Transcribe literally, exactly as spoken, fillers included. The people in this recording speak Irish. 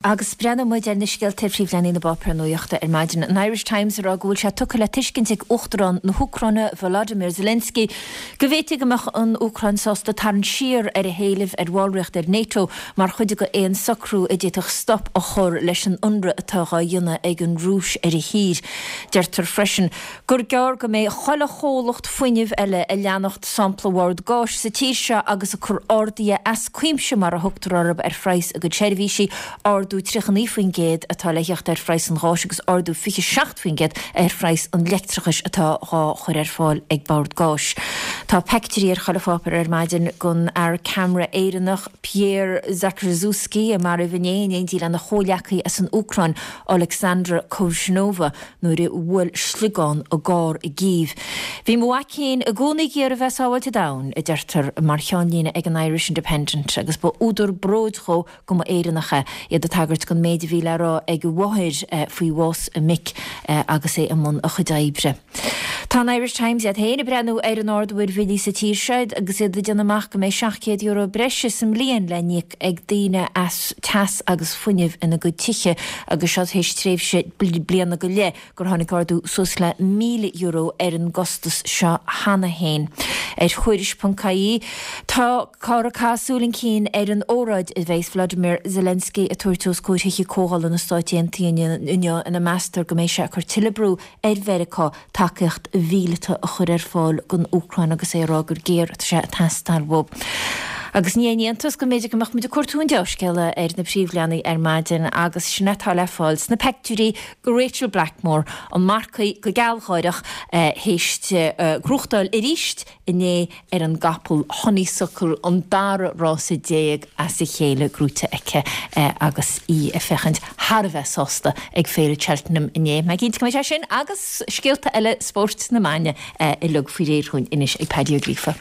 Agus breathnóidh muid ar na scéalta ar phríomhleathanaigh na bpáipéar nuachta ar maidin. An Irish Times ag rá go bhfuil sé tugtha le tuiscint ag Uachtarán na hÚcráine Volodymyr Zelensky go bhféadfaidh go mbeadh an Úcráin sásta tarraingt siar ar a héilimh ar bhallraíocht ar NATO mar chuid de aon socrú a d'fhéadfadh stop a chur leis an ionradh atá á dhéanamh ag an Rúis ar a thír. Deirtear freisin gur gearr go mbeidh chuile chomhlacht fuinnimh eile ag leanacht sampla Bhord Gáis sa tír seo agus ag cur arduithe as cuimse mar a thugtar orthu ar phraghas a gcuid seirbhísí ardú tríocha naoi faoin gcéad atá le theacht ar phraghas an gháis agus ardú fiche seacht faoin gcéad ar phraghas an leictreachais atá dhá chur ar fáil ag Bord Gáis. Tá peictiúirí ar chuile pháipéar ar maidin den fhear ceamara Éireannach Pierre Zakrzewski a maraíodh inné in éindí lena chomhleacaí as an Úcráin Oleksandra Kovshinova nuair a bhuail sliogán a gcarr i gCív. Bhí mo mhac féin i gcónaí ag iarraidh bheith sábháilte domhain, a deirtear mar cheannlíne ag an Irish Independent agus ba údar bróid dhó go mba Éireannach é, iad ag tagairt don méid a bhí le rá ag a mháthair faoi bhás a mic agus é i mbun a chuid oibre. Tá an Irish Times iad féin ag breathnú ar an ardú ar bhillí sa tír seo agus iad ag déanamh amach go mbeidh seacht gcéad euro breise sa mbliain le n-íoc ag daoine as teas agus fuinneamh ina gcuid tithe agus seo théis tréimhse bliana go leith gur tháinig ardú suas le míle euro ar an gcostas seo cheana féin. Ar Thuairisc.ie tá Cara Cath súil chun cinn ar an óráid a bheas Vladimir Zelensky ag tabhairt os comhair Thithe Comhdhála na Stáit Aontaithe inniu ina meastar go mbeidh sé ag cur tuilleadh brú ar Mheiriceá tacaíocht mhíleata a chur ar fáil don Úcráin agus é ag rá gur géar atá sé ag teastáil uathu. Agus ní haon iontas go mb'fhéidir go mbeadh muid ag cuartú an dea-scéala ar na príomhleathanaigh ar maidin agus sin atá le fáil sna peictiúirí de Rachel Blackmore, an marcaí go gealgháireach théis gnóthachtáil arís inné ar an gcapall Honeysuckle, an dara rása déag as a chéile gnóite aici agus í ag féachaint thar a bheith sásta ag Féile Cheltenham inné. Mé cinnte go mbeidh sé sin agus scéalta eile spóirt na maidine uilig faoi réir dhúinn anois ag Paddy Ó Gríofa.